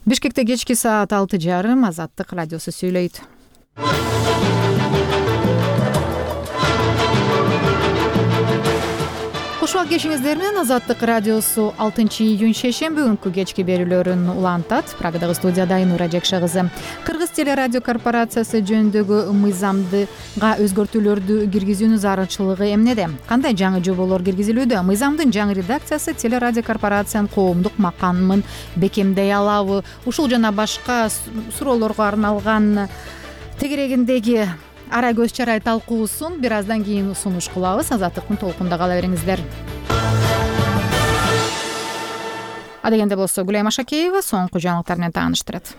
Бишкекте кечки саат 6:30 Азаттык радиосу сүйлөйт. Кошуак кешиңиздер менен Азаттык радиосу 6-июнь шейшемби күнкү кечки берүүлөрүн улантат. Прагадагы студияда Айнура Жекше кызы. Кыргыз телерадио корпорациясы жөнүндөгү мыйзамдыга өзгөртүүлөрдү киргизүүнүн зарылчылыгы эмнеде? Кандай жаңы жоболор киргизилүүдө? Мыйзамдын жаңы редакциясы телерадио корпорациянын коомдук макамын бекемдей алабы? Ушул жана башка суроолорго арналган тегерегиндеги ара көз чарай талкуусун бир аздан кийин сунуш кылабыз. Азаттыктын толкунда кала бериңиздер. Адегенде болсо Гүлайым Ашакеева соңку жаңылыктар менен тааныштырат.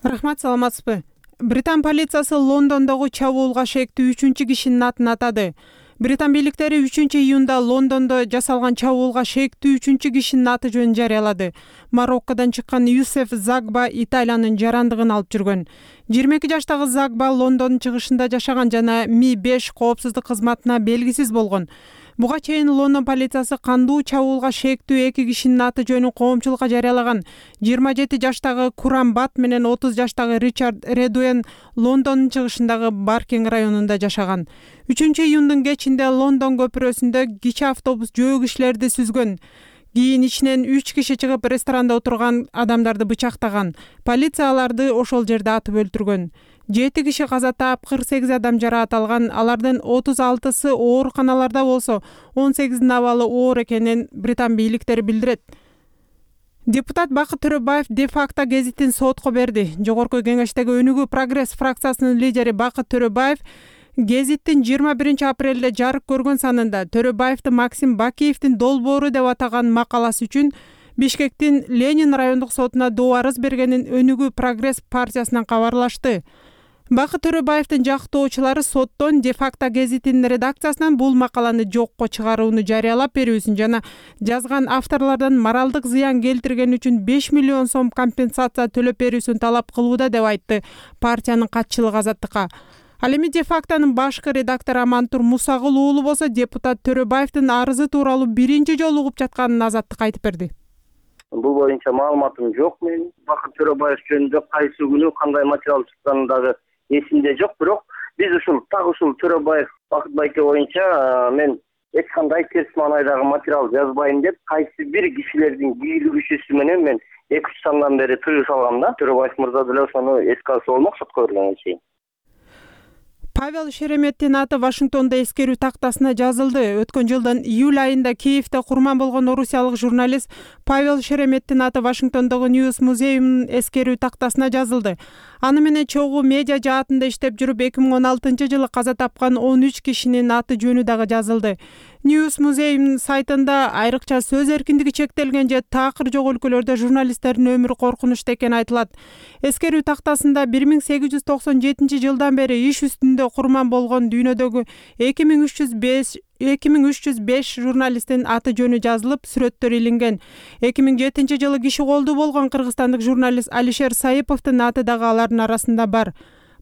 Рахмат, саламатсызбы? Британ полициясы Лондондогу чабуулга шектүү 3-чү кишинин атын атады. Британ бийликтери 3-июнда Лондондо жасалган чабуулга шектүү 3-чү кишинин аты жөнүн жарыялады. Мароккодон чыккан Юсеф Загба Италиянын жарандыгын алып жүргөн. 22 жаштагы Загба Лондондун чыгышында жашаган жана Ми-5 коопсуздук кызматына белгисиз болгон. Буга чейин Лондон полициясы кандуу чабуулга шектүү 2 кишинин аты жөнүн коомчулукка жарыялаган. 27 жаштагы Курам Бат менен 30 жаштагы Ричард Редуэн Лондондун чыгышындагы Баркинг районунда жашаган. 3-июндун кечинде Лондон көпүрөсүндө кичи автобус жөө кишилерди сүзгөн. Кийин ичинен 3 киши чыгып ресторанда отурган адамдарды бычактаган. Полиция аларды ошол жерде атып өлтүргөн. 7 киши каза таап, 48 адам жараат алган. Алардын 36сы ооруканаларда болсо, 18-дин абалы оор экенин Британ бийликтери билдирет. Депутат Бакыт Төрөбаев де-факто гезитин сотко берди. Жогорку кеңештеги Өнүгүү Прогресс фракциясынын лидери Бакыт Төрөбаев гезиттин 21 апрелде жарык көргөн санында Төрөбаевди Максим Бакиевдин долбоору деп атаган макаласы үчүн Бишкектин Ленин райондук сотуна доо арыз бергенин Өнүгүү Прогресс партиясынан кабарлашты. Бакыт Төрөбаевдин жактоочулары соттон де-факто гезитинин редакциясынан бул макаланы жокко чыгарууну жарыялап берүүсүн жана жазган авторлордон моралдык зыян келтирген үчүн 5 миллион сом компенсация төлөп берүүсүн талап кылууда деп айтты партиянын катчылыгы Азаттыкка. Ал эми де-фактонун башкы редактору Амантур Мусагул уулу болсо депутат Төрөбаевдин арызы тууралуу биринчи жолу угуп жатканын Азаттыкка айтып берди. Бул боюнча маалыматым жок менин. Бакыт Төрөбаев жөнүндө кайсы күнү кандай материал чыкканы дагы эсимде жок, бирок биз ушул Төрөбаев Бакыт байке боюнча мен эч кандай терс маанайдагы материал жазбайм деп кайсы бир кишилердин кийлигишүүсү менен мен 2-3 сандан бери тыюу салгам да. Төрөбаев мырза деле ошону эске алса болмок сотко бергенге чейин. Павел Шереметтин аты Вашингтондо эскерүү тактасына жазылды. Өткөн жылдын июль айында Киевде курман болгон орусиялык журналист Павел Шереметтин аты Вашингтондогу Ньюс музейинин эскерүү тактасына жазылды. Аны менен чогуу медиа жаатында иштеп жүрүп 2016-жылы каза тапкан 13 кишинин аты жөнү дагы жазылды. Ньюс музейинин сайтында айрыкча сөз эркиндиги чектелген же такыр жок өлкөлөрдө журналисттердин өмүрү коркунучта экени айтылат. Эскерүү тактасында 1897-жылдан бери иш үстүндө курман болгон дүйнөдөгү 2305 журналисттин аты жөнү жазылып, сүрөттөр илинген. 2007-жылы киши колдуу болгон кыргызстандык журналист Алишер Саиповдун аты дагы алардын арасында бар.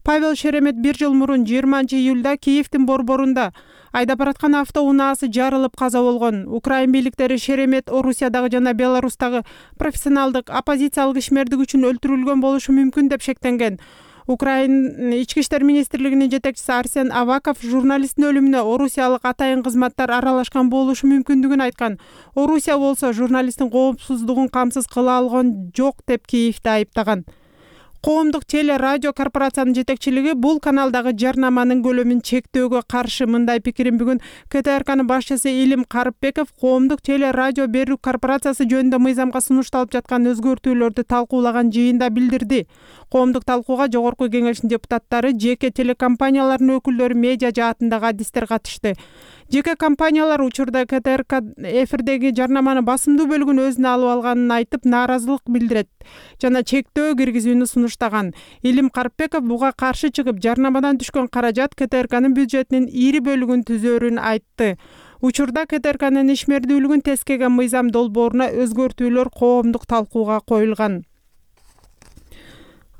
Павел Шеремет 1 жыл мурун 20-июлда Киевдин борборунда айдап бараткан автоунаасы жарылып каза болгон. Украин бийликтери Шеремет Орусиядагы жана Беларустагы профессионалдык оппозициялык ишмердик үчүн өлтүрүлгөн болушу мүмкүн деп шектенген. Украин ички иштер министрлигинин жетекчиси Арсен Аваков журналисттин өлүмүнө орусиялык атайын кызматтар аралашкан болушу мүмкүндүгүн айткан. Орусия болсо журналисттин коопсуздугун камсыз кыла алган жок деп Киевди айыптаган. Коомдук теле радио корпорациянын жетекчилиги бул каналдагы жарнаманын көлөмүн чектөөгө каршы мындай пикирин бүгүн КТРКнын башчысы Илим Карыпбеков коомдук теле радио берүү корпорациясы жөнүндө мыйзамга сунушталып жаткан өзгөртүүлөрдү талкуулаган жыйында билдирди. Коомдук талкууга жогорку кеңештин депутаттары, жеке телекомпаниялардын өкүлдөрү, медиа жаатындагы адистер катышты. Жеке компаниялар учурда КТРК эфирдеги жарнаманы басымдуу бөлүгүн өзүнө алып алганын айтып, нааразылык билдирет жана чектөө киргизүүнү сунуштаган. Илим Карыпбеков буга каршы чыгып, жарнамадан түшкөн каражат КТРКнын бюджетинин ири бөлүгүн түзөөрүн айтты. Учурда КТРКнын ишмердүүлүгүн тескеген мыйзам долбооруна өзгөртүүлөр коомдук талкууга коюлган.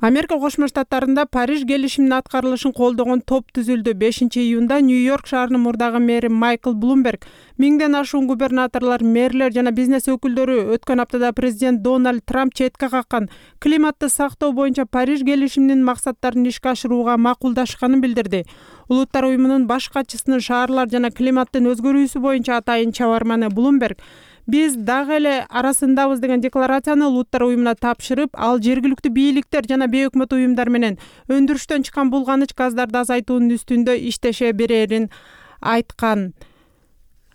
Америка Кошмо Штаттарында Париж келишиминин аткарылышын колдогон топ түзүлдү. 5-июнда Нью-Йорк шаарынын мурдагы мэри Майкл Блумберг, 1000ден ашуун губернаторлор, мэрлер жана бизнес өкүлдөрү өткөн аптада президент Дональд Трамп четке каккан климатты сактоо боюнча Париж келишиминин максаттарын ишке ашырууга макулдашканын билдирди. Улуттар уюмунун баш катчысынын шаарлар жана климаттын өзгөрүүсү боюнча атайын чабарманы Блумберг биз дагы эле арасындабыз деген декларацияны улуттар уюмуна тапшырып, ал жергиликтүү бийликтер жана бейөкмөт уюмдар менен өндүрүштөн чыккан булганыч газдарды азайтуунун үстүндө иштеше берерин айткан.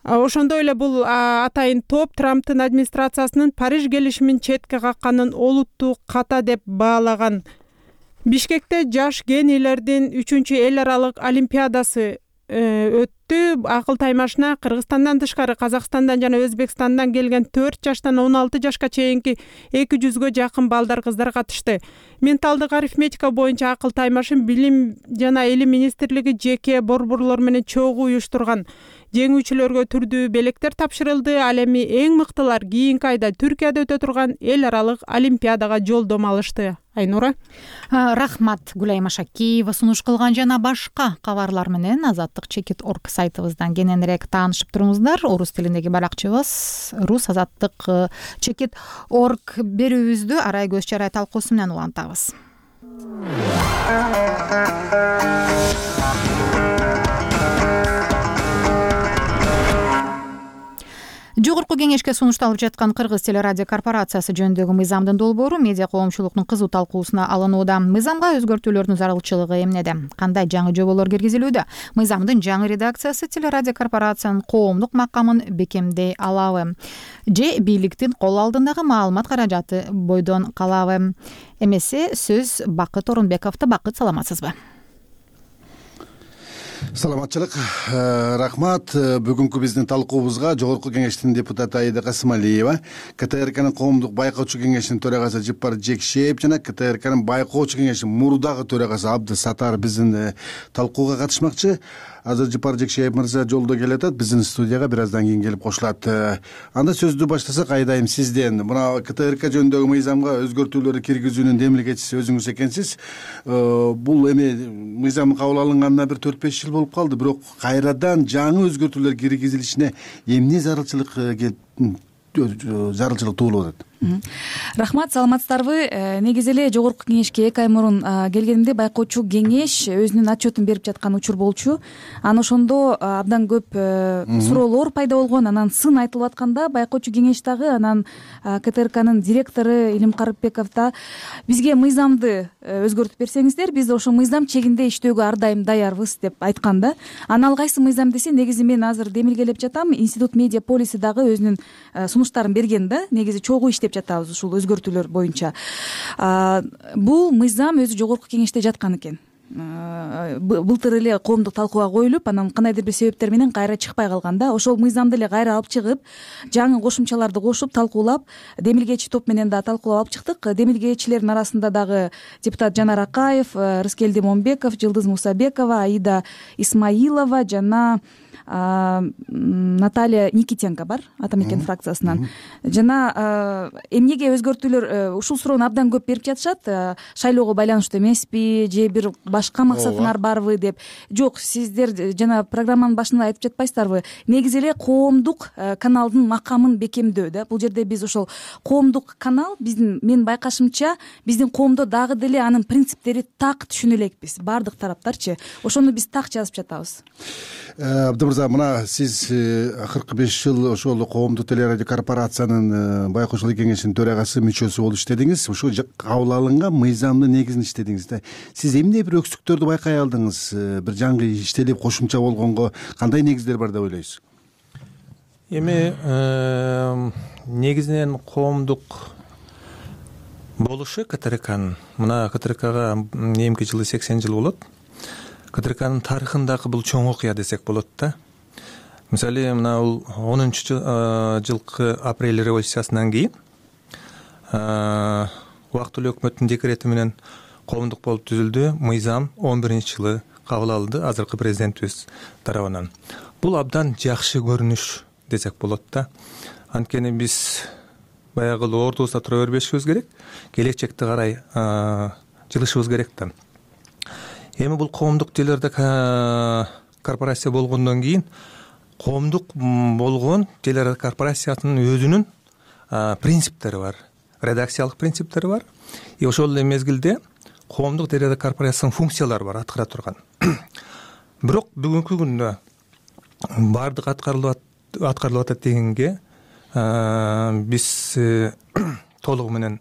Ошондой эле бул атайын топ Трамптын администрациясынын Париж келишимин четке какканын олуттуу ката деп баалаган. Бишкекте жаш генийлердин 3-эл аралык олимпиадасы өттү. Акыл таймашына Кыргызстандан тышкары Казакстандан жана Өзбекстандан келген 4 жаштан 16 жашка чейинки 200гө жакын балдар, кыздар катышты. Менталдык арифметика боюнча акыл таймашын Билим жана Элим министрлиги жеке борборлор менен чогуу уюштурган. Жеңүүчүлөргө түрдүү белектер тапшырылды. Ал эми эң мыктылар кийинки айда Түркияда өтө турган эл аралык олимпиадага жолдомо алышты. Айнура. Рахмат Гүлайым Ашакиева сунуш кылган жана башка кабарлар менен Азаттык Чекит.org сайтыбыздан кененирээк таанышып туруңуздар. Орус тилиндеги баракчыбыз Рус Азаттык Чекит.org берүүбүздү Арай Көз Чарай талкуусу менен улантабыз. Жогорку кеңешке сунушталып жаткан Кыргыз телерадио корпорациясы жөнүндөгү мыйзамдын долбоору медиа коомчулуктун кызуу талкуусуна алынууда. Мыйзамга өзгөртүүлөрдүн зарылчылыгы эмнеде? Кандай жаңы жоболор киргизилүүдө? Мыйзамдын жаңы редакциясы телерадио корпорациянын коомдук макамын бекемдей алабы? Же бийликтин кол алдындагы маалымат каражаты бойдон калабы? Эмесе сөз Бакыт Орунбековдо. Бакыт, саламатсызбы? Саламатчылык, рахмат. Бүгүнкү биздин талкуубузга Жогорку кеңештин депутаты Аида Касымалиева, КТРКнын коомдук байкоочу кеңешинин төрагасы Жыпар Жекшеев жана КТРКнын байкоочу кеңешинин мурдагы төрагасы Абдыс Сатар биздин талкууга катышмакчы. Азыр Жыпар Жекшеев мырза жолдо келатат, биздин студияга бир аздан кийин келип кошулат. Анда сөздү баштасак, Айдайым сизден. Мына КТРК жөнүндөгү мыйзамга өзгөртүүлөр киргизүүнүн демилгечиси өзүңүз экенсиз. Бул эми мыйзам кабыл алынганына бир 4-5 жыл болуп калды, бирок кайрадан жаңы өзгөртүүлөр киргизилишине эмне зарылчылык туулуп атат? Рахмат, саламатсыздарбы? Негизи эле Жогорку кеңешке 2 ай мурун келгенимде байкоочу кеңеш өзүнүн отчетун берип жаткан учур болчу. Анан ошондо абдан көп суроолор пайда болгон. Анан сын айтылып атканда байкоочу кеңеш дагы, анан КТРКнын директору Илим Карыпбеков да бизге мыйзамды өзгөртүп берсеңиздер, биз ошо мыйзам чегинде иштөөгө ар дайым даярбыз деп айткан да. Анан ал кайсы мыйзам десе, негизи мен азыр демилгелеп жатам. Институт медиа полиси дагы өзүнүн сунуштарын берген да. Негизи чогуу жатабыз ушул өзгөртүүлөр боюнча. Бул мыйзам өзү Жогорку кеңеште жаткан экен. Былтыр эле коомдук талкууга коюлуп, анан кандайдыр бир себептер менен кайра чыкпай калган да. Ошол мыйзамды эле кайра алып чыгып, жаңы кошумчаларды кошуп талкуулап, демилгечи топ менен да талкуулап алып чыктык. Демилгечилердин арасында дагы депутат Жанар Акаев, Рыскелди Момбеков, Жылдыз Мусабекова, Аида Исмаилова жана Наталья Никитенко бар, Ата мекен фракциясынан. Жана эмнеге өзгөртүүлөр, ушул суроону абдан көп берип жатышат. Шайлоого байланыштуу эмеспи, же бир башка максатыңар барбы деп. Жок, сиздер жана программанын башында айтып жатпайсыздарбы? Негизи эле коомдук каналдын макамын бекемдөө да. Бул жерде биз ошол коомдук канал, биздин, мен байкашымча, биздин коомдо дагы деле анын принциптери так түшүнө элекпиз. Бардык тараптарчы. Ошону биз так жазып жатабыз. Мына сиз акыркы 5 жыл ошол коомдук телерадио корпорациянын байкоочулук кеңешинин төрагасы мүчөсү болуп иштедиңиз. Ушул кабыл алынган мыйзамдын негизин иштедиңиз да. Сиз эмне бир өксүктөрдү байкай алдыңыз? Бир жаңы иштелип кошумча болгонго кандай негиздер бар деп ойлойсуз? Эми негизинен коомдук болушу КТРКнын, мына КТРКга эмки жылы 80 жыл болот. КТРКнын тарыхындагы бул чоң окуя десек болот да. Мисалы, мына бул 10-жылкы апрель революциясынан кийин убактылуу өкмөттүн декрети менен коомдук болуп түзүлдү. Мыйзам 11-жылы кабыл алынды азыркы президентибиз тарабынан. Бул абдан жакшы көрүнүш десек болот да. Анткени биз баягы ордубузда тура бербешибиз керек. Келечекте карай жылышыбыз керек да. Эми бул коомдук телерадио корпорация болгондон кийин коомдук болгон телерадио корпорациясынын өзүнүн принциптери бар, редакциялык принциптери бар. И ошол эле мезгилде коомдук телерадио корпорациясынын функциялары бар, аткара турган. Бирок бүгүнкү күндө баардык аткарылып атат дегенге биз толугу менен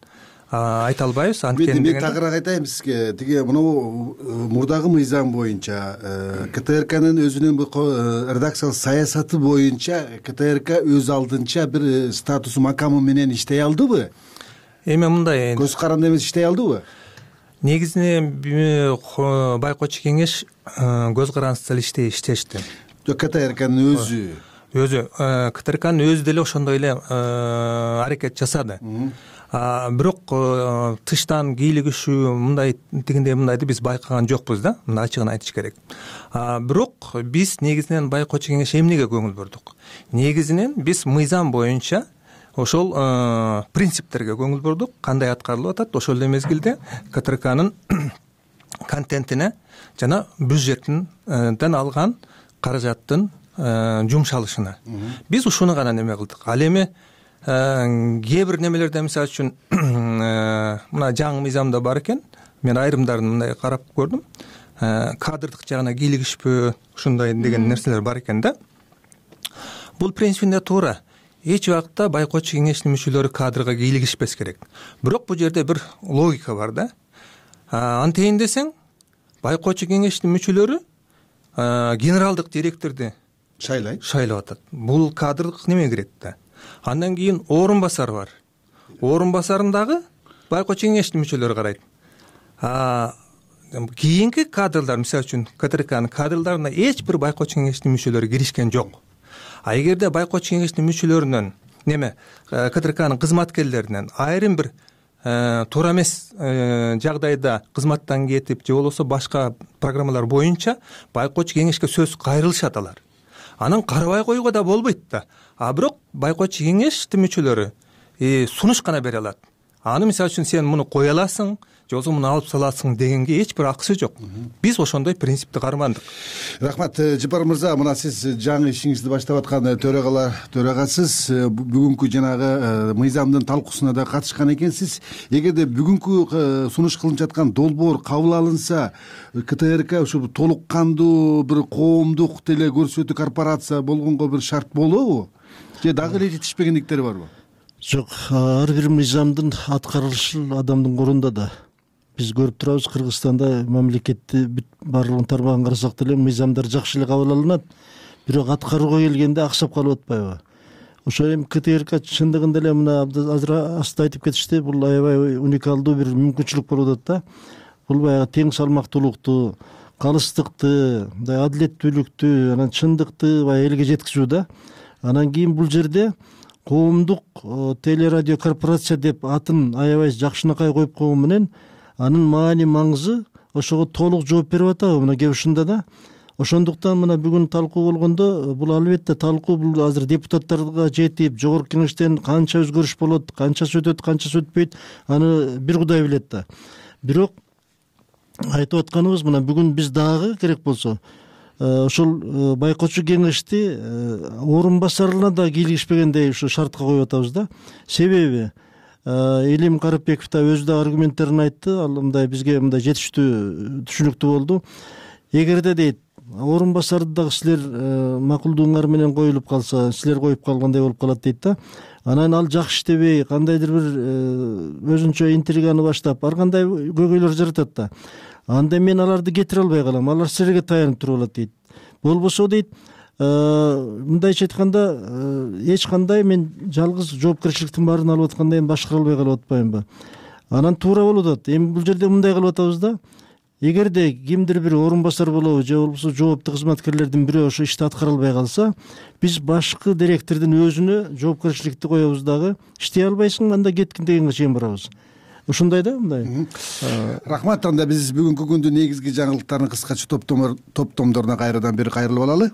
айта албайбыз. Анткени мен тагыраак айтайын сизге. Тиги мынау мурдагы мыйзам боюнча КТРКнын өзүнүн редакциялык саясаты боюнча КТРК өз алдынча бир статусу макамы менен иштей алдыбы? Эми мындай көз каранды эмес иштей алдыбы? Негизинен байкоочу кеңеш көз карандысыз эле иштешти. Жок, КТРКнын өзү КТРКнын өзү деле ошондой эле аракет жасады. Бирок тыштан кийлигишүү мындай тигиндей мындайды биз байкаган жокпуз да, мына ачыгын айтыш керек. Бирок биз негизинен байкоочу кеңеш эмнеге көңүл бурдук? Негизинен биз мыйзам боюнча ошол принциптерге көңүл бурдук, кандай аткарылып атат, ошол эле мезгилде КТРКнын контентине жана бюджеттен алган каражаттын жумшалышына. Биз ушуну гана неме кылдык. Ал эми кээ бир немелерде мисалы үчүн мына жаңы мыйзамда бар экен, мен айрымдарын мындай карап көрдүм. Кадрдык жагына кийлигишпөө, ушундай деген нерселер бар экен да. Бул принципинде туура. Эч убакта байкоочу кеңештин мүчөлөрү кадрга кийлигишпес керек. Бирок бул жерде бир логика бар да. Антейин десең, байкоочу кеңештин мүчөлөрү генералдык директорду шайлап атат. Бул кадрдык неме кирет да. Андан кийин орун басар бар. Орун басарын дагы байкоочу кеңештин мүчөлөрү карайт. Кийинки кадрлар, мисалы үчүн КТРКнын кадрларына эч бир байкоочу кеңештин мүчөлөрү киришкен жок. Эгерде байкоочу кеңештин мүчөлөрүнөн КТРКнын кызматкерлеринен айрым бир туура эмес жагдайда кызматтан кетип же болбосо башка программалар боюнча байкоочу кеңешке сөз кайрылышат алар. Анан карабай койгоо да болбойт да. Бирок байкоочу кеңештин мүчөлөрү сунуш гана бере алат. Аны мисалы үчүн сен муну кое аласың, же болбосо муну алып саласың дегенге эч бир акысы жок. Биз ошондой принципти кармандык. Рахмат, Жапар мырза, мына сиз жаңы ишиңизди баштап аткан төрагасыз. Бүгүнкү жанагы мыйзамдын талкуусуна да катышкан экенсиз. Эгерде бүгүнкү сунуш кылынып жаткан долбоор кабыл алынса, КТРК ушу толук кандуу бир коомдук теле көрсөтүү корпорация болгонго бир шарт болобу? Же дагы эле жетишпегендиктери барбы? Жок, ар бир мыйзамдын аткарылышы адамдын колунда да. Биз көрүп турабыз, Кыргызстанда мамлекетти барлыгын тармагын карасак деле мыйзамдар жакшы эле кабыл алынат, бирок аткарууга келгенде аксап калып атпайбы? Ошо эми КТРК чындыгында эле мына азыр аста айтып кетишти, бул аябай уникалдуу бир мүмкүнчүлүк болуп атат да. Бул баягы тең салмактуулукту, калыстыкты, мындай адилеттүүлүктү, анан чындыкты баягы элге жеткизүү да. Анан кийин бул жерде коомдук телерадио корпорация деп атын аябай жакшынакай коюп койгон менен анын маани маңызы ошого толук жооп берип атабы мына кеп ушунда да. Ошондуктан мына бүгүн талкуу болгондо бул албетте талкуу бул азыр депутаттарга жетип, жогорку кеңештен канча өзгөрүш болот, канчасы өтөт, канчасы өтпөйт, аны бир Кудай билет да. Бирок айтып атканыбыз мына бүгүн биз дагы керек болсо ошол байкоочу кеңешти орун басарына да кийлигишпегендей ушу шартка коюп атабыз да. Себеби Элим Карыпбеков да өзү да аргументтерин айтты, ал мындай бизге мындай жетиштүү түшүнүктүү болду. Эгерде дейт орун басарды дагы силер макулдугуңар менен коюлуп калса, силер коюп калгандай болуп калат дейт да. Анан ал жакшы иштебей, кандайдыр бир өзүнчө интриганы баштап, ар кандай көйгөйлөр жаратат да. Анда мен аларды кетире албай калам, алар силерге таянып туруп алат дейт. Болбосо дейт, мындайча айтканда эч кандай мен жалгыз жоопкерчиликтин баарын алып атканда эми башкара албай калып атпаймынбы? Анан туура болуп атат. Эми бул жерде мындай кылып атабыз да. Эгерде кимдир бир орун басар болобу же болбосо жооптуу кызматкерлердин бирөө ошо ишти аткара албай калса, биз башкы директордун өзүнө жоопкерчиликти коебуз дагы. Иштей албайсың, анда кеткин дегенге чейин барабыз. Ушундай да, мындай. Рахмат, анда биз бүгүнкү күндүн негизги жаңылыктарын кыскача топтомдоруна кайрадан бери кайрылып алалы.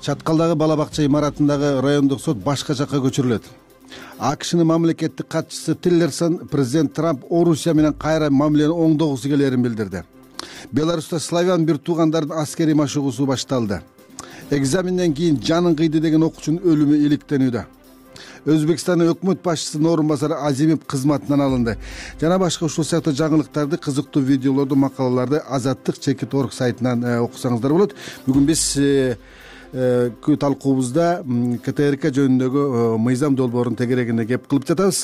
Чаткалдагы бала бакча имаратындагы райондук сот башка жакка көчүрүлөт. АКШнын мамлекеттик катчысы Тиллерсон президент Трамп Орусия менен кайра мамилени оңдогусу келерин билдирди. Беларуста славян бир туугандардын аскерий машыгуусу башталды. Экзаменден кийин жанын кыйды деген окуучунун өлүмү иликтенүүдө. Өзбекстандын өкмөт башчысынын орун басары Азимов кызматынан алынды. Жана башка ушул сыяктуу жаңылыктарды, кызыктуу видеолорду, макалаларды Азаттык Чекит.org сайтынан окусаңыздар болот. Бүгүн биз талкуубузда КТРК жөнүндөгү мыйзам долбоорунун тегерегине кеп кылып жатабыз.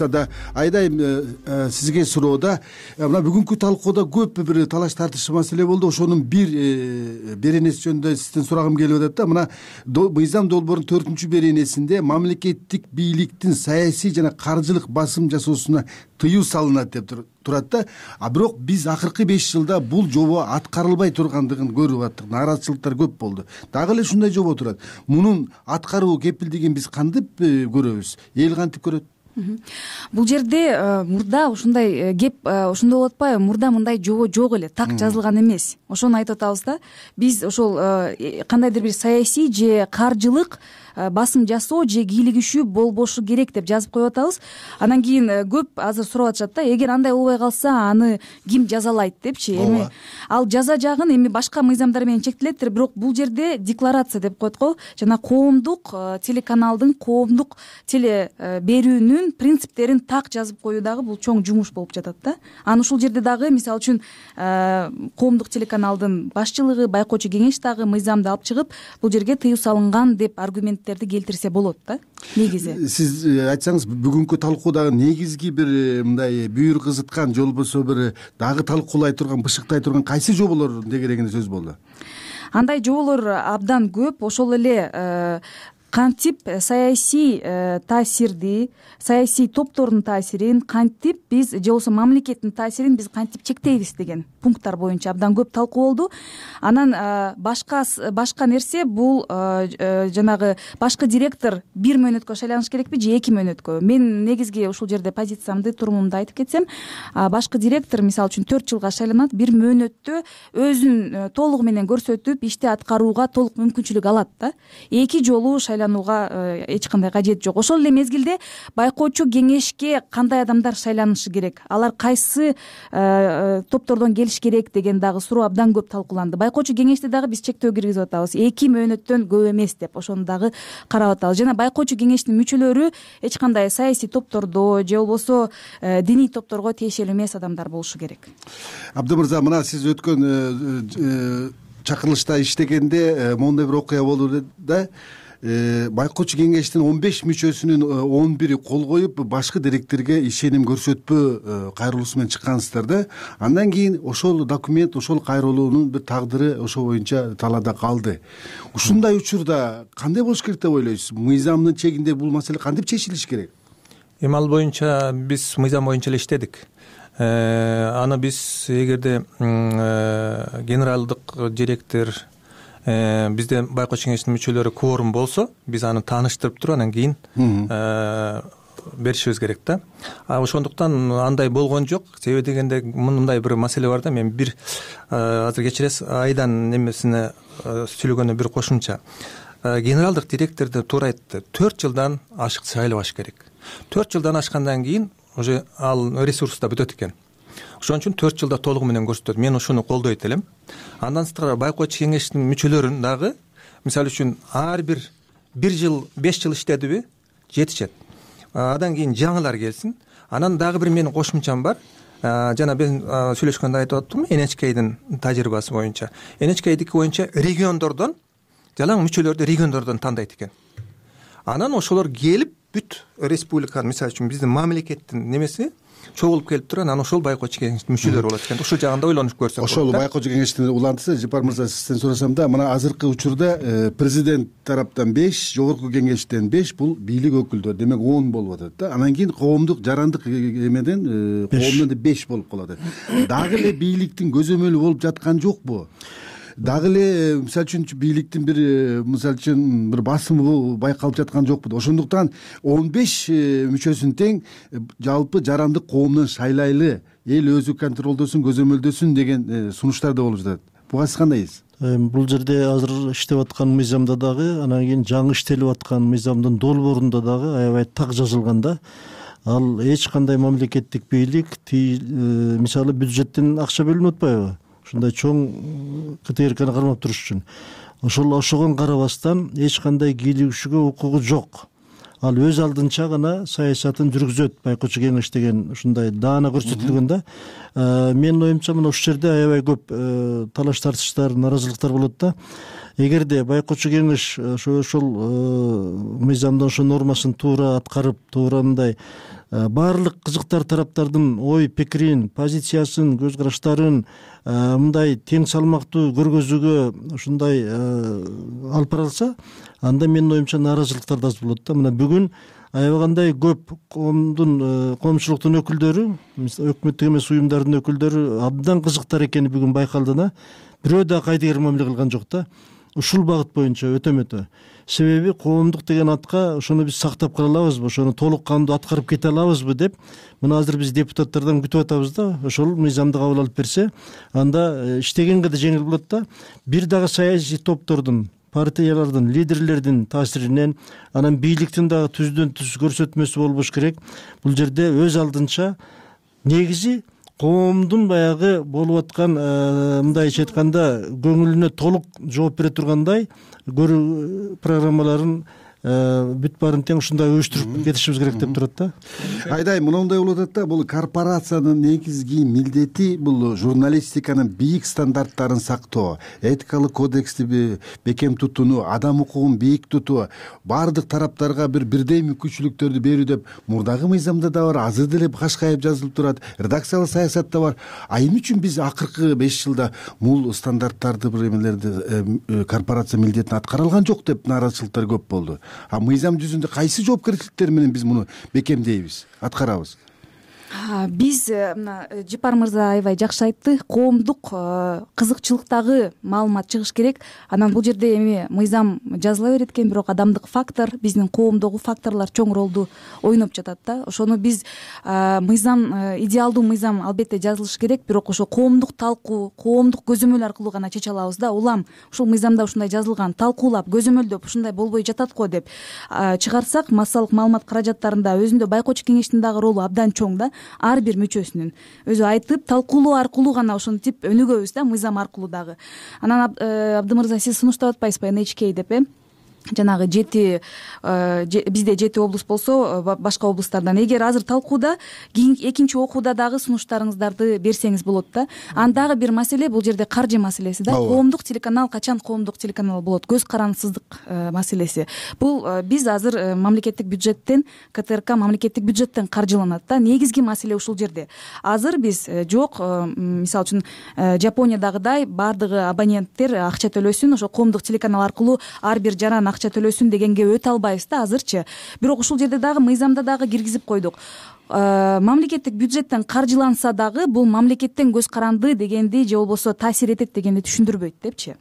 Айдайым сизге суроода мына бүгүнкү талкууда көп бир талаш тартыш маселе болду. Ошонун бир беренеси жөнүндө сизден сурагым келип атат да. Мына мыйзам долбоорунун 4-беренесинде мамлекеттик бийликтин саясий жана каржылык басым жасоосуна тыюу салынат деп турат да. А бирок биз акыркы 5 жылда бул жобо аткарылбай тургандыгын көрүп аттык. Нааразычылыктар көп болду. Дагы эле ушундай жобо турат. Мунун аткаруу кепилдигин биз кантип көрөбүз? Эл кантип көрөт? Бул жерде мурда ушундай кеп ошондой болуп атпайбы? Мурда мындай жобо жок эле, так жазылган эмес. Ошону айтып атабыз да. Биз ошол кандайдыр бир саясий же каржылык басым жасоо же кийлигишүү болбошу керек деп жазып коюп атабыз. Анан кийин көп азыр сурап атышат да, эгер андай болбой калса аны ким жазалайт депчи. Эми ал жаза жагын эми башка мыйзамдар менен чектелеттир, бирок бул жерде декларация деп коет го, жана коомдук телеканалдын коомдук теле берүүнүн принциптерин так жазып коюу дагы бул чоң жумуш болуп жатат да. Анан ушул жерде дагы мисалы үчүн коомдук телеканалдын башчылыгы, байкоочу кеңеш дагы мыйзамды алып чыгып бул жерге тыюу салынган деп аргумент келтирсе болот да. Негизи сиз айтсаңыз, бүгүнкү талкуудагы негизги бир мындай бүйүр кызыткан же болбосо бир дагы талкуулай турган, бышыктай турган кайсы жоболор дегерегинде сөз болду? Андай жоболор абдан көп. Ошол эле кантип саясий таасирди, саясий топтордун таасирин кантип биз же болбосо мамлекеттин таасирин биз кантип чектейбиз деген пункттар боюнча абдан көп талкуу болду. Анан башка нерсе бул жанагы башкы директор 1 мөөнөткө шайланыш керекпи же 2 мөөнөткө? Мен негизги ушул жерде позициямды, турумумду айтып кетсем, башкы директор мисалы үчүн 4 жылга шайланат, 1 мөөнөттө өзүн толугу менен көрсөтүп, ишти аткарууга толук мүмкүнчүлүк алат да. 2 жолу шайланууга эч кандай кажет жок. Ошол эле мезгилде байкоочу кеңешке кандай адамдар шайланышы керек, алар кайсы топтордон келиш керек деген дагы суроо абдан көп талкууланды. Байкоочу кеңеште дагы биз чектөө киргизип атабыз. 2 мөөнөттөн көп эмес деп ошону дагы карап атабыз. Жана байкоочу кеңештин мүчөлөрү эч кандай саясий топтордо же болбосо диний топторго тиешелүү эмес адамдар болушу керек. Абды мырза, мына сиз өткөн чакырылышта иштегенде моундай бир окуя болду да. Байкоочу кеңештин 15 мүчөсүнүн 11-и кол коюп, башкы директорге ишеним көрсөтпөө кайрылуусу менен чыккансыздар да. Андан кийин ошол документ, ошол кайрылуунун бир тагдыры ошо боюнча талаада калды. Ушундай учурда кандай болуш керек деп ойлойсуз? Мыйзамдын чегинде бул маселе кантип чечилиш керек? Эми ал боюнча биз мыйзам боюнча эле иштедик. Аны биз эгерде генералдык директор бизде байкоочу кеңештин мүчөлөрү кворум болсо, биз аны тааныштырып туруп анан кийин беришибиз керек да. Ошондуктан андай болгон жок. Себеби дегенде мындай бир маселе бар да. Мен бир азыр кечиресиз, Айдан немесине сүйлөгөндө бир кошумча. Генералдык директорду туура айтты. 4 жылдан ашык шайлабаш керек. 4 жылдан ашкандан кийин уже ал ресурс да бүтөт экен. Ошон үчүн 4 жылда толугу менен көрсөтөт. Мен ушуну колдойт элем. Андан сырткары байкоочу кеңештин мүчөлөрүн дагы мисалы үчүн ар бир 1 жыл 5 жыл иштедиби жетишет. Андан кийин жаңылар келсин. Анан дагы бир менин кошумчам бар. Жана мен сүйлөшкөндө айтып аттым, NHK'дин тажрыйбасы боюнча. NHK'дики боюнча региондордон, жалаң мүчөлөрдү региондордон тандайт экен. Анан ошолор келип бүт республиканын, мисалы үчүн биздин мамлекеттин немеси чогулуп келип туруп, анан ошол байкоочу кеңештин мүчөлөрү болот экен. Ушул жагында ойлонуп көрсөк болот. Ошол байкоочу кеңештин улантысы, Жапар мырза, сизден сурасам да, мына азыркы учурда президент тараптан 5, жогорку кеңештен 5, бул бийлик өкүлдөр, демек 10 болуп атат да. Анан кийин коомдук жарандык эмеден коомдон 5 болуп калат. Дагы эле бийликтин көзөмөлү болуп жаткан жокпу? Дагы эле мисалы үчүн бийликтин бир мисалы үчүн бир басымы байкалып жаткан жокпу? Ошондуктан 15 мүчөсүн тең жалпы жарандык коомдон шайлайлы, эл өзү контролдосун, көзөмөлдөсүн деген сунуштар да болуп жатат. буга сиз кандай дейсиз? Бул жерде азыр иштеп аткан мыйзамда дагы, анан кийин жаңы иштелип аткан мыйзамдын долбоорунда дагы аябай так жазылган да. Ал эч кандай мамлекеттик бийлик мисалы бюджеттен акча бөлүнүп атпайбы ушундай чоң КТРКны кармап туруш үчүн. Ошого карабастан эч кандай кийлигишүүгө укугу жок. Ал өз алдынча гана саясатын жүргүзөт. Байкоочу кеңеш деген ушундай даана көрсөтүлгөн да. Менин оюмча мына ушул жерде аябай көп талаш тартыштар, нааразылыктар болот да. Эгерде байкоочу кеңеш ошол мыйзамдын ошо нормасын туура аткарып, туура мындай баардык кызыктар тараптардын ой пикирин, позициясын, көз караштарын мындай тең салмактуу көргөзүүгө ушундай алып бара алса, анда менин оюмча нааразылыктар да аз болот да. Мына бүгүн аябагандай көп коомчулуктун өкүлдөрү, өкмөттүк эмес уюмдардын өкүлдөрү абдан кызыктар экени бүгүн байкалды да. Бирөө да кайдыгер мамиле кылган жок да. Ушул багыт боюнча өтө. Себеби коомдук деген атка ошону биз сактап кала алабызбы, ошону толук кандуу аткарып кете алабызбы деп мына азыр биз депутаттардан күтүп атабыз да. Ошол мыйзамды кабыл алып берсе, анда иштегенге да жеңил болот да. Бир дагы саясий топтордун, партиялардын, лидерлердин таасиринен, анан бийликтин дагы түздөн түз көрсөтмөсү болбош керек. Бул жерде өз алдынча негизи коомдун баягы болуп аткан мындайча айтканда көңүлүнө толук жооп бере тургандай көрүү программаларын бүт баарын тең ушундай уюштуруп кетишибиз керек деп турат да. Айдай мындай болуп атат да, бул корпорациянын негизги милдети бул журналистиканын бийик стандарттарын сактоо, этикалык кодексти бекем тутууну, адам укугун бийик тутуу, баардык тараптарга бирдей мүмкүнчүлүктөрдү берүү деп мурдагы мыйзамда да бар, азыр деле кашкайып жазылып турат, редакциялык саясатта бар. Эмне үчүн биз акыркы 5 жылда бул стандарттарды бир эмелерди корпорация милдетин аткара алган жок деп нааразычылыктар көп болду. Мыйзам жүзүндө кайсы жоопкерчиликтер менен биз муну бекемдейбиз, аткарабыз? Биз мына Жипар мырза аябай жакшы айтты. Коомдук кызыкчылыктагы маалымат чыгыш керек. Анан бул жерде эми мыйзам жазыла берет экен, бирок адамдык фактор, биздин коомдогу факторлор чоң ролду ойноп жатат да. Ошону биз мыйзам, идеалдуу мыйзам албетте жазылыш керек, бирок ошо коомдук талкуу, коомдук көзөмөл аркылуу гана чече алабыз да. Улам ушул мыйзамда ушундай жазылган, талкуулап, көзөмөлдөп ушундай болбой жатат го деп чыгарсак, массалык маалымат каражаттарында өзүндө байкоочу кеңештин дагы ролу абдан чоң да. Ар бир мүчөсүнүн өзү айтып, талкуулоо аркылуу гана ошентип өнүгөбүз да, мыйзам аркылуу дагы. Анан Абды мырза, сиз сунуштап атпайсызбы NHK деп жанагы 7 бизде 7 облус болсо, башка облустардан эгер азыр талкууда, экинчи окууда дагы сунуштарыңыздарды берсеңиз болот да. Андагы бир маселе бул жерде каржы маселеси да. Коомдук телеканал качан коомдук телеканал болот? Көз карансыздык маселеси. Бул биз азыр мамлекеттик бюджеттен, КТРК мамлекеттик бюджеттен каржыланат да. Негизги маселе ушул жерде. Азыр биз жок, мисалы үчүн Жапониядагыдай баардыгы абоненттер акча төлөсүн, ошо коомдук телеканал аркылуу ар бир жаран акча төлөсүн дегенге өтө албайбыз да азырчы. Бирок ушул жерде дагы мыйзамда дагы киргизип койдук. Мамлекеттик бюджеттен каржыланса дагы бул мамлекеттен көз каранды дегенди же болбосо таасир этет дегенди түшүндүрбөйт депчи.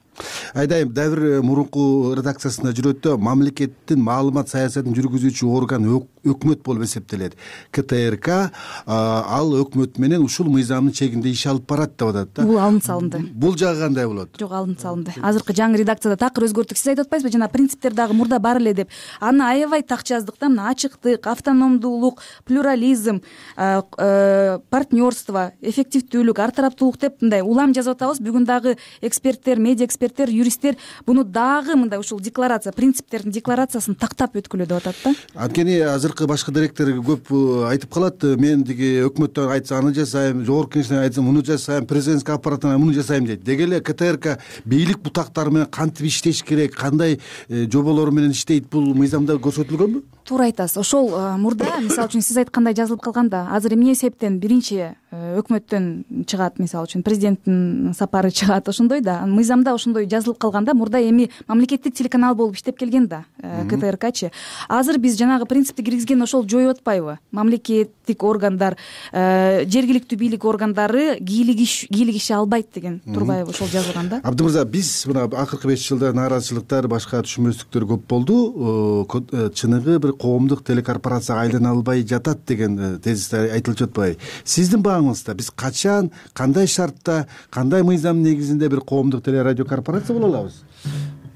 Айдайм, дагы бир мурунку редакциясында жүрөт да, мамлекеттин маалымат саясатын жүргүзүүчү орган өкмөт болуп эсептелет. КТРК ал өкмөт менен ушул мыйзамдын чегинде иш алып барат деп атат да. Бул алынып салынды. Бул жагы кандай болот? Жок, алынып салынды. Азыркы жаңы редакцияда такыр өзгөрттүк. Сиз айтып атпайсызбы, жана принциптер дагы мурда бар эле деп. Аны аябай так жаздык да. Мына ачыктык, автономдуулук, плюрализм, партнерство, эффективдүүлүк, ар тараптуулук деп мындай улам жазып атабыз. Бүгүн дагы эксперттер, медиа эксперттер, юристтер буну дагы мындай ушул декларация, принциптердин декларациясын тактап өткүлө деп атат да. Анткени азыркы башкы директор көп айтып калат, мен деги өкмөттөн айтса аны жасайм, жогорку кеңештен айтса муну жасайм, президенттик аппараттан муну жасайм дейт. Деги эле КТРК бийлик бутактары менен кантип иштеш керек, кандай жоболор менен иштейт, бул мыйзамда көрсөтүлгөнбү? Туура айтасыз. Ошол мурда, мисалы үчүн сиз айткандай жазылып калганда, азыр эмне себептен биринчи өкмөттөн чыгат, мисалы үчүн президенттин сапары чыгат, ошондой да. Мыйзамда ошондой жазылып калганда, мурда эми мамлекеттик телеканал болуп иштеп келген да КТРКчы. Азыр биз жанагы принципти киргизген ошол жоюп атпайбы? Мамлекеттик органдар, жергиликтүү бийлик органдары кийлигише албайт деген турбайбы ошол жазылган да. Абды мырза, биз мына акыркы 5 жылда нааразычылыктар, башка түшүнбөстүктөр көп болду. Чыныгы бир коомдук телекорпорацияга айлана албай жатат деген тезис айтылып жатпайбы? Сиздин мааңыз да? Биз качан, кандай шартта, кандай мыйзам негизинде бир коомдук телерадио корпорация боло алабыз?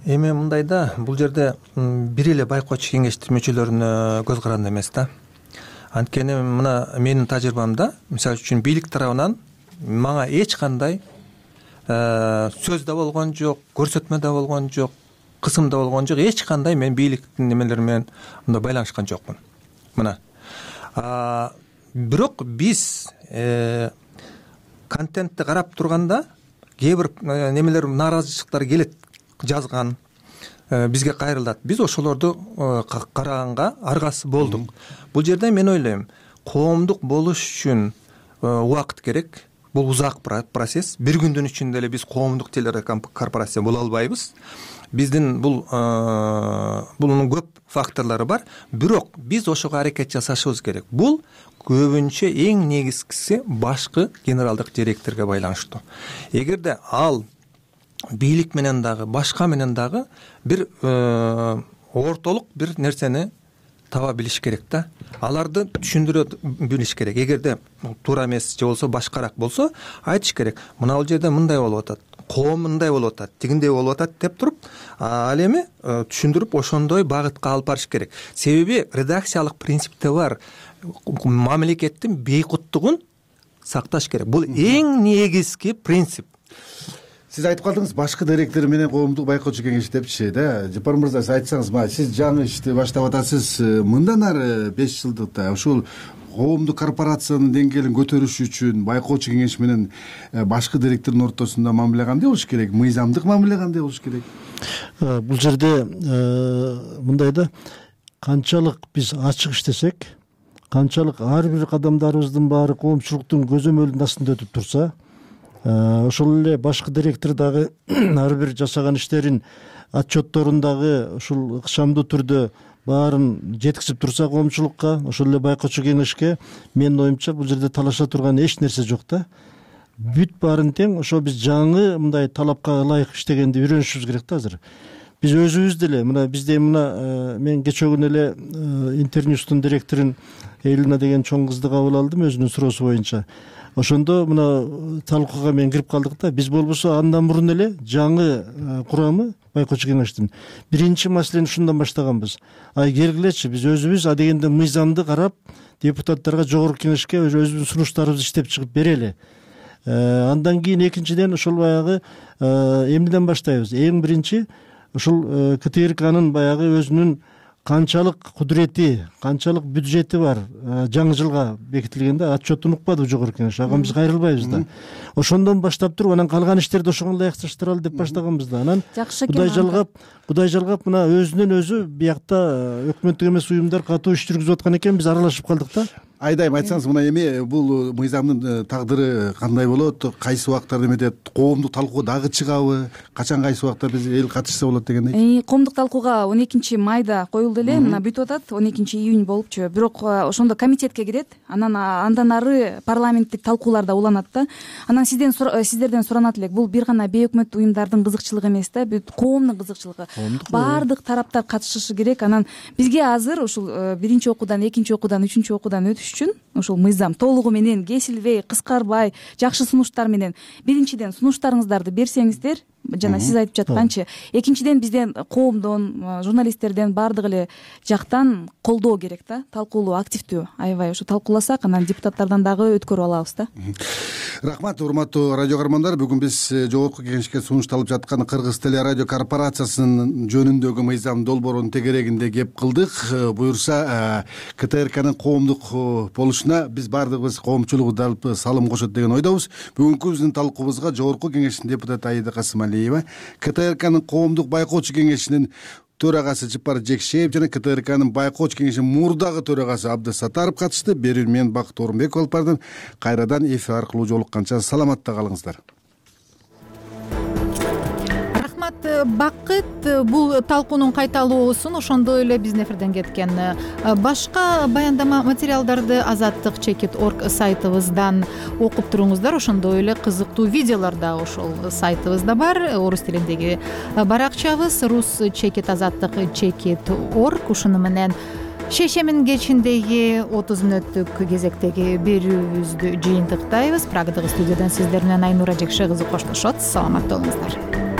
Эми мындай да, бул жерде бир эле байкоочу кеңештин мүчөлөрүнө көз каранды эмес да. Анткени мына менин тажрыйбамда, мисалы үчүн бийлик тарабынан мага эч кандай сөз да болгон жок, көрсөтмө да болгон жок, кысым да болгон жок. Эч кандай мен бийликтин немелери менен мындай байланышкан жокмун. Мына. Бирок биз контентти карап турганда кээ бир немелер, нааразычылыктар келет, жазган, бизге кайрылат. Биз ошолорду караганга аргасы болдук. Бул жерде мен ойлойм, коомдук болуш үчүн убакыт керек. Бул узак процесс. Бир күндүн ичинде эле биз коомдук телерадиокорпорация боло албайбыз. Биздин бунун көп факторлору бар. Бирок биз ошого аракет жасашыбыз керек. Бул көбүнчө эң негизгиси башкы генералдык директорго байланыштуу. Эгерде ал бийлик менен дагы, башка менен дагы бир ортолук бир нерсени таба билиш керек да. Аларды түшүндүрө билиш керек. Эгерде туура эмес же болбосо башкараак болсо, айтыш керек. Мына бул жерде мындай болуп атат, коом мындай болуп атат, тигиндей болуп атат деп туруп, ал эми түшүндүрүп ошондой багытка алып барыш керек. Себеби редакциялык принципте бар. Мамлекеттин бейкуттугун сакташ керек. Бул эң негизги принцип. Сиз айтып калдыңыз, башкы директор менен коомдук байкоочу кеңеш депчи да. Жапар мырза, сиз айтсаңыз, сиз жаңы ишти баштап атасыз. Мындан ары 5 жылдыкта ушул коомдук корпорациянын деңгээлин көтөрүш үчүн байкоочу кеңеш менен башкы директордун ортосунда мамиле кандай болуш керек? Мыйзамдык мамиле кандай болуш керек? Бул жерде мындай да, канчалык биз ачык иштесек, канчалык ар бир кадамдарыбыздын баары коомчулуктун көзөмөлүнүн астында өтүп турса, ошол эле башкы директор дагы ар бир жасаган иштерин отчетторун дагы ушул ыкчамдуу түрдө баарын жеткизип турса коомчулукка, ошол эле байкоочу кеңешке, менин оюмча бул жерде талаша турган эч нерсе жок да. Бүт баарын тең. Ошо биз жаңы мындай талапка ылайык иштегенди үйрөнүшүбүз керек да азыр. Биз өзүбүз деле мына бизде мен кечээ күнү эле Интерньюстун директорун Элина деген чоң кызды кабыл алдым өзүнүн суроосу боюнча. Ошондо мына талкууга мен кирип калдык да. Биз болбосо андан мурун эле жаңы курамы байкоочу кеңештин биринчи маселени ушундан баштаганбыз. Келгилечи, биз өзүбүз адегенде мыйзамды карап депутаттарга, жогорку кеңешке өзүбүздүн сунуштарыбызды иштеп чыгып берели. Андан кийин экинчиден ошол баягы эмнеден баштайбыз? Эң биринчи ушул КТРКнын баягы өзүнүн канчалык кудурети, канчалык бюджети бар жаңы жылга бекитилгенде отчетун укпадыбы жогорку кеңеш. Ага биз кайрылбайбыз да. Ошондон баштап туруп анан калган иштерди ошого ылайыкташтыралы деп баштаганбыз да. Анан Кудай жалгап мына өзүнөн өзү биякта өкмөттүк эмес уюмдар катуу иш жүргүзүп аткан экен, биз аралашып калдык да. Айдайм, айтсаңыз, мына эми бул мыйзамдын тагдыры кандай болот? Кайсы убактарда эметет? Коомдук талкууга дагы чыгабы? Качан, кайсы убакта биз эл катышса болот дегендей? Коомдук талкууга 12-майда коюлду эле, мына бүтүп атат, 12-июнь болупчу. Бирок ошондо комитетке кирет, андан ары парламенттик талкууларда уланат да. Анан сиздерден суранат элек, бул бир гана бейөкмөттүк уюмдардын кызыкчылыгы эмес да, бүт коомдун кызыкчылыгы. Баардык тараптар катышышы керек. Анан бизге азыр ушул биринчи окуудан, экинчи окуудан, үчүнчү окуудан өтүш үчүн ушул мыйзам толугу менен кесилбей, кыскарбай, жакшы сунуштар менен биринчиден сунуштарыңыздарды берсеңиздер, жана сиз айтып жатканчы, экинчиден бизден коомдон, журналисттерден баардык эле жактан колдоо керек да, талкуулуу, активдүү, аябай ушу талкууласак, анан депутаттардан дагы өткөрүп алабыз да. Рахмат, урматтуу радио көрөрмандар. Бүгүн биз жогорку кеңешке сунушталып жаткан Кыргыз телерадио корпорациясынын жөнүндөгү мыйзам долбоорунун тегерегинде кеп кылдык. Буюрса, КТРКнын коомдук болушуна биз баардыгыбыз коомчулугу далп салым кошот деген ойдобуз. Бүгүнкү биздин талкуубузга жогорку кеңештин депутаты Аида Касымалиева, КТРКнын коомдук байкоочу кеңешинин төрагасы Жапар Жекшеев жана КТРКнын байкоочу кеңешинин мурдагы төрагасы Абдыс Сатаров катышты. Берүүнү мен Бакыт Орунбеков алып бардым. Кайрадан эфир аркылуу жолукканча саламатта калыңыздар. Бакыт, бул талкуунун кайталоосун ошондой эле биздин эфирден кеткен башка баяндама материалдарды Азаттык.org сайтыбыздан окуп туруңуздар. Ошондой эле кызыктуу видеолор да ошол сайтыбызда бар. Орус тилиндеги баракчабыз Rus.Azattyk.org. Ушуну менен шешемин кечиндеги 30 мүнөттүк кезектеги берүүбүздү жыйынтыктайбыз. Прагадагы студиядан сиздер менен Айнура Жекше кызы коштошот. Саламатта болуңуздар.